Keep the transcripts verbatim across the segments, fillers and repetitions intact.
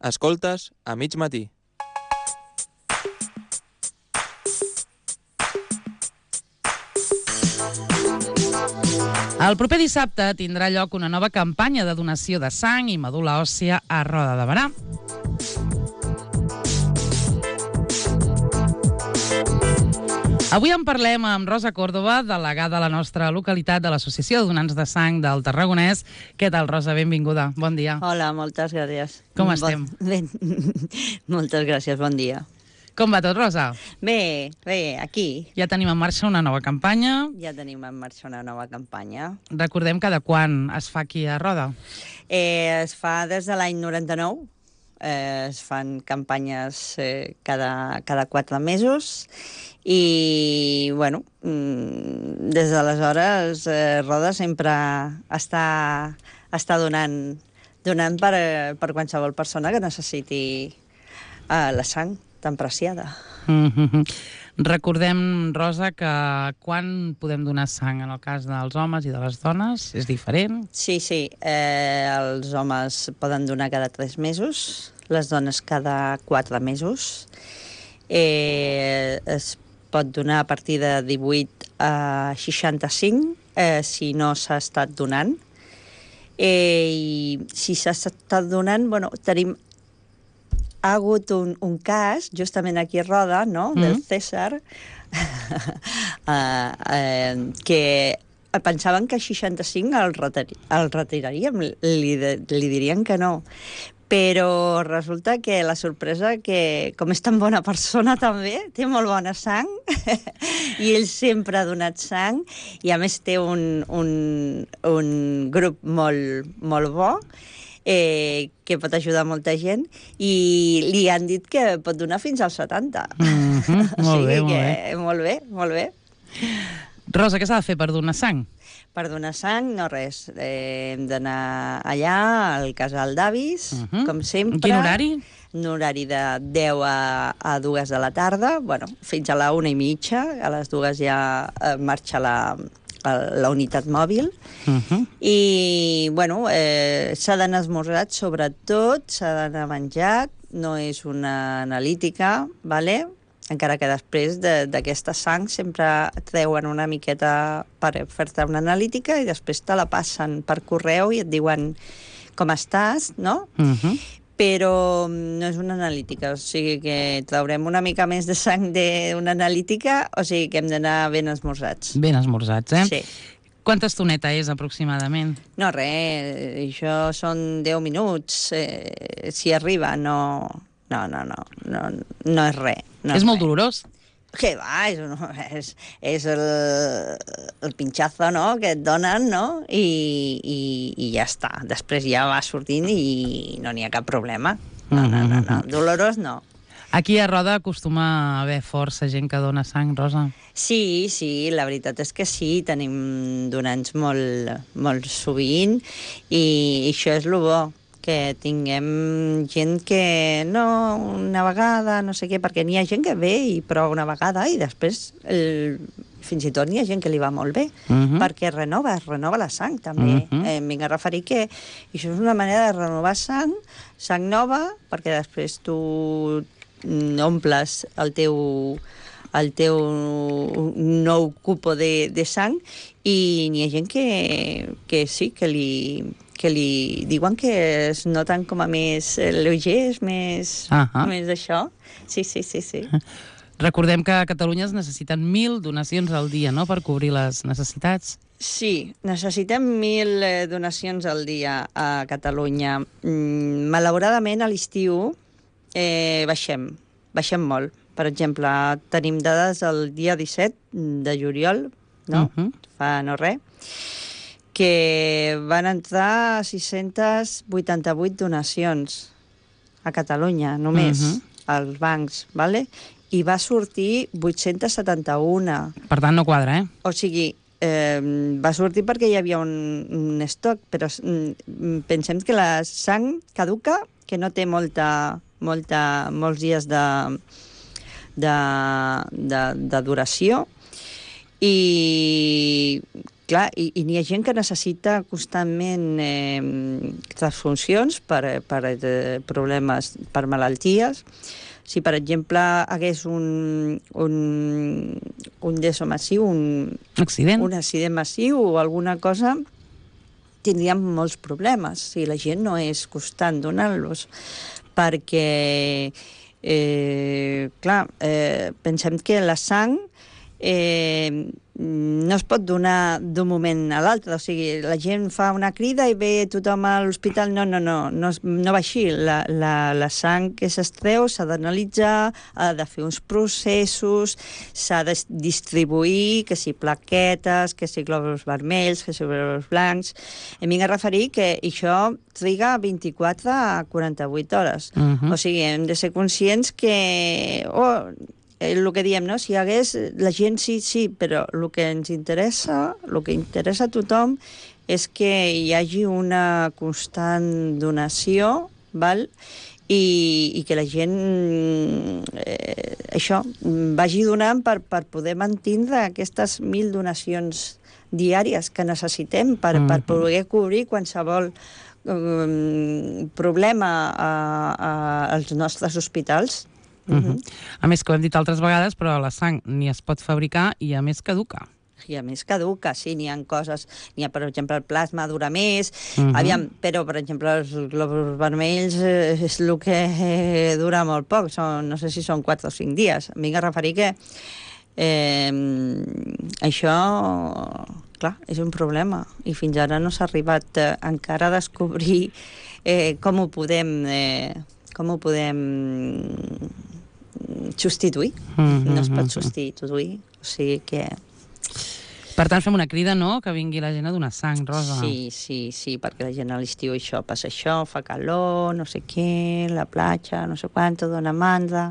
Escoltes a mig matí. El proper dissabte tindrà lloc una nova campanya de donació de sang i medul·la òssia a Roda de Berà. Avui en parlem amb Rosa Còrdova, delegada a la nostra localitat de l'Associació de Donants de Sang del Tarragonès. Què tal, Rosa? Benvinguda. Bon dia. Hola, moltes gràcies. Com estem? Bon... Bé. Moltes gràcies, bon dia. Com va tot, Rosa? Bé, bé, aquí. Ja tenim en marxa una nova campanya. Ja tenim en marxa una nova campanya. Recordem cada quan es fa aquí a Roda. Eh, es fa des de l'any noranta-nou. Eh, es fan campanyes eh, cada, cada quatre mesos i, bueno, mm, des d'aleshores eh, Roda sempre està, està donant, donant per, per qualsevol persona que necessiti eh, la sang tan preciada. Mm-hmm. Recordem, Rosa, que quan podem donar sang en el cas dels homes i de les dones? És diferent? Sí, sí. Eh, els homes poden donar cada tres mesos, les dones cada quatre mesos. Eh, es pot donar a partir de divuit a seixanta-cinc, eh, si no s'ha estat donant. Eh, I si s'ha estat donant, bueno, tenim... Ha hagut un, un cas, justament aquí a Roda, no?, mm. del César, uh, uh, que pensaven que a seixanta-cinc el, retiri, el retiraríem, li, li dirien que no. Però resulta que la sorpresa que, com és tan bona persona també, té molt bona sang, i ell sempre ha donat sang, i a més té un, un, un grup molt, molt bo, Eh, que pot ajudar molta gent, i li han dit que pot donar fins als setanta. Mm-hmm. Molt bé, molt bé. Molt bé, molt bé. Rosa, què s'ha de fer per donar sang? Per donar sang, no res. Eh, hem d'anar allà, al casal d'avis, uh-huh. com sempre. Quin horari? Un horari de deu a, a dues de la tarda, bueno, fins a la una i mitja. A les dues ja eh, marxa la... la unitat mòbil, uh-huh. i, bueno, eh, s'ha d'anar esmorzat, sobretot, s'ha d'anar menjat, no és una analítica, vale? Encara que després d'aquesta de, sang sempre treuen una miqueta per fer-te una analítica i després te la passen per correu i et diuen com estàs, no? Uh-huh. Però no és una analítica, o sigui que traurem una mica més de sang d'una analítica, o sigui que hem d'anar ben esmorzats. Ben esmorzats, eh? Sí. Quanta estoneta és, aproximadament? No, res, això són deu minuts, eh, si arriba, no... No, no, no, no, no és res. No és és molt res. dolorós? Què va, és, és, és el, el pinxazo, no?, que et donen, no?, I, i, i ja està. Després ja va sortint i no n'hi ha cap problema. No, no, no, no. Dolorós no. Aquí a Roda acostuma a haver força gent que dona sang, Rosa? Sí, sí, la veritat és que sí, tenim donants molt, molt sovint i això és el bo, que tinguem gent que no, una vegada, no sé què, perquè n'hi ha gent que ve i prova una vegada i després el, fins i tot n'hi ha gent que li va molt bé, uh-huh. perquè renova, es renova la sang també. Uh-huh. Eh, em vinc a referir que això és una manera de renovar sang, sang nova, perquè després tu omples el teu, el teu nou cupo de, de sang i n'hi ha gent que, que sí, que li... que li diuen que es noten com a més lleugers, més, uh-huh. més d'això. Sí, sí, sí, sí. Recordem que a Catalunya es necessiten mil donacions al dia, no?, per cobrir les necessitats. Sí, necessitem mil eh, donacions al dia a Catalunya. Mm, malauradament, a l'estiu eh, baixem, baixem molt. Per exemple, tenim dades el dia disset de juliol, no? Uh-huh. Fa no res, que van entrar sis-centes vuitanta-vuit donacions a Catalunya, només, uh-huh. als bancs, ¿vale? I va sortir vuit-centes setanta-un. Per tant, no quadra, eh? O sigui, eh, va sortir perquè hi havia un, un estoc, però mm, pensem que la sang caduca, que no té molta, molta, molts dies de, de, de, de duració, i clar, i, i n'hi ha gent que necessita constantment eh, transfuncions per, per eh, problemes, per malalties. Si, per exemple, hagués un, un, un deso massiu, un accident. un accident massiu o alguna cosa, tindríem molts problemes si la gent no és constant donant-los. Perquè, eh, clar, eh, pensem que la sang eh, no es pot donar d'un moment a l'altre. O sigui, la gent fa una crida i ve tothom a l'hospital. No, no, no, no, no va així. La, la, la sang que s'extreu s'ha d'analitzar, ha de fer uns processos, s'ha de distribuir, que si plaquetes, que si glòbuls vermells, que si glòbuls blancs. Em vinc a referir que això triga vint-i-quatre a quaranta-vuit hores. Uh-huh. O sigui, hem de ser conscients que... Oh, el que diem, no? Si hi hagués... La gent sí, sí, però el que ens interessa, el que interessa a tothom és que hi hagi una constant donació, val? I, i que la gent, eh, això, vagi donant per, per poder mantindre aquestes mil donacions diàries que necessitem per, mm-hmm. per poder cobrir qualsevol um, problema a, a, als nostres hospitals. Uh-huh. A més, que ho hem dit altres vegades, però la sang ni es pot fabricar i a més caduca. I a més caduca, sí, n'hi ha coses, n'hi ha, per exemple, el plasma dura més, uh-huh. aviam, però, per exemple, els glòbuls vermells eh, és el que eh, dura molt poc, són, no sé si són quatre o cinc dies. Em vinc a referir que eh, això, clar, és un problema, i fins ara no s'ha arribat eh, encara a descobrir eh, com ho podem... Eh, com ho podem substituir. Mm-hmm. No es pot substituir. O sigui que... Per tant, fem una crida, no?, que vingui la gent a donar sang, Rosa. Sí, sí, sí, perquè la gent a l'estiu això passa això, fa calor, no sé què, la platja, no sé quant, dona mandra,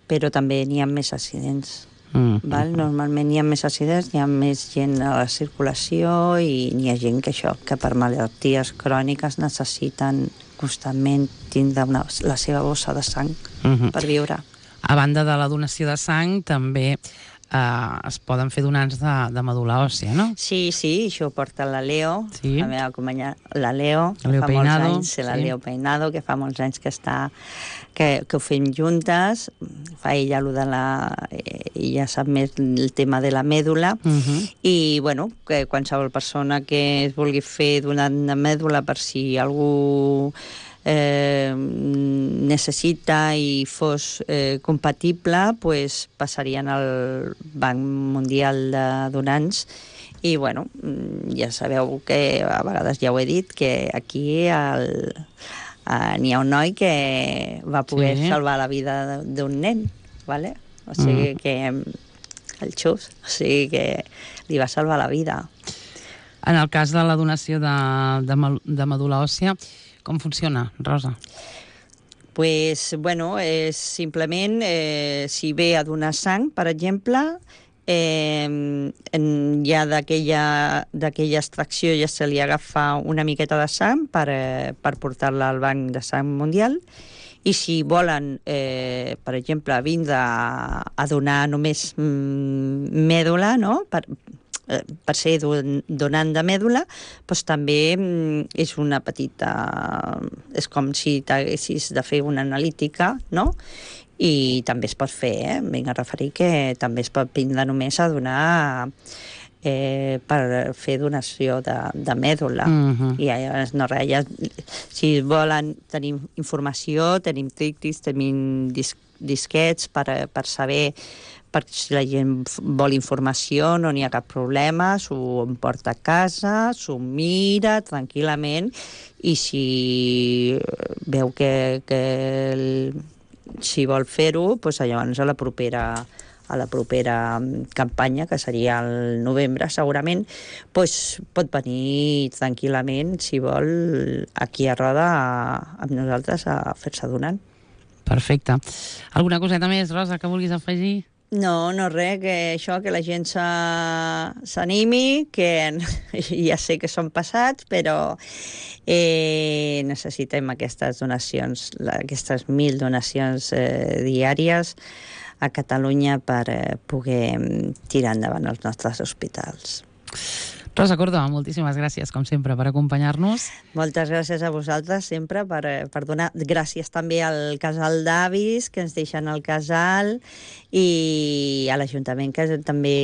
però també n'hi ha més accidents. Mm-hmm. Val? Normalment hi ha més accidents, hi ha més gent a la circulació i n'hi ha gent que això, que per malalties cròniques necessiten constantment tindre una, la seva bossa de sang uh-huh. per viure. A banda de la donació de sang, també eh, es poden fer donants de, de medul·la òssia, no? Sí, sí, això ho porta la Leo, sí. la meva companya, la Leo, la Leo que fa Peinado, molts anys, sí. la Leo Peinado, que fa molts anys que està, que, que ho fem juntes, fa ella allò de la... ella sap més el tema de la mèdula, uh-huh. i, bueno, que qualsevol persona que es vulgui fer donant de mèdula per si algú eh, necessita i fos eh, compatible, pues, passarien al Banc Mundial de Donants. I, bueno, ja sabeu que a vegades ja ho he dit, que aquí el, uh, n'hi ha un noi que va poder sí. salvar la vida d'un nen, ¿vale? O sigui mm. que el xus, o sigui que li va salvar la vida. En el cas de la donació de, de, de medul·la òssia, com funciona, Rosa? Pues, bueno, és simplement, eh, si ve a donar sang, per exemple, eh, en, ja d'aquella extracció ja se li agafa una miqueta de sang per, eh, per portar-la al Banc de Sang Mundial. I si volen, eh, per exemple, vindre a, a donar només mm, mèdula, no?, per, eh, per ser don, donant de mèdula, doncs també mm, és una petita... És com si t'haguessis de fer una analítica, no?, i també es pot fer, eh? Vinc a referir que també es pot vindre només a donar... Eh, per fer donació de, de mèdula. Uh-huh. I llavors, no res, ja, si volen tenir informació, tenim trictis, tenim dis, disquets per, per saber, per si la gent vol informació, no n'hi ha cap problema, s'ho emporta a casa, s'ho mira tranquil·lament, i si veu que, que el, si vol fer-ho, doncs llavors a la propera a la propera campanya, que seria el novembre segurament, doncs pot venir tranquil·lament, si vol, aquí a Roda amb nosaltres a fer-se donant. Perfecte. Alguna coseta més, Rosa, que vulguis afegir? No, no res, que això, que la gent s'animi, que ja sé que són passats, però eh, necessitem aquestes donacions, aquestes mil donacions eh, diàries a Catalunya per eh, poder tirar endavant els nostres hospitals. Rosa Córdoba, moltíssimes gràcies, com sempre, per acompanyar-nos. Moltes gràcies a vosaltres sempre per, per donar... Gràcies també al casal d'avis que ens deixen al casal i a l'Ajuntament que també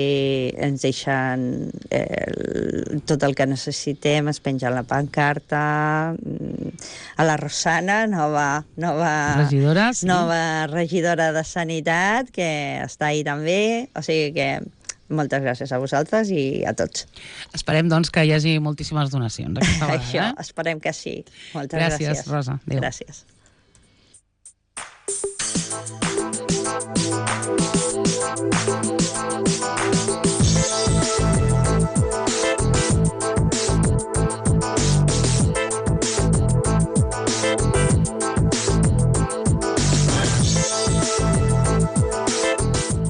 ens deixen eh, tot el que necessitem, es penja la pancarta, a la Rosana, nova, nova, regidora, sí. nova regidora de Sanitat, que està ahí també, o sigui que moltes gràcies a vosaltres i a tots. Esperem, doncs, que hi hagi moltíssimes donacions aquesta vegada. Això, eh? esperem que sí. Moltes gràcies. gràcies. Rosa. Adéu. Gràcies. Gràcies.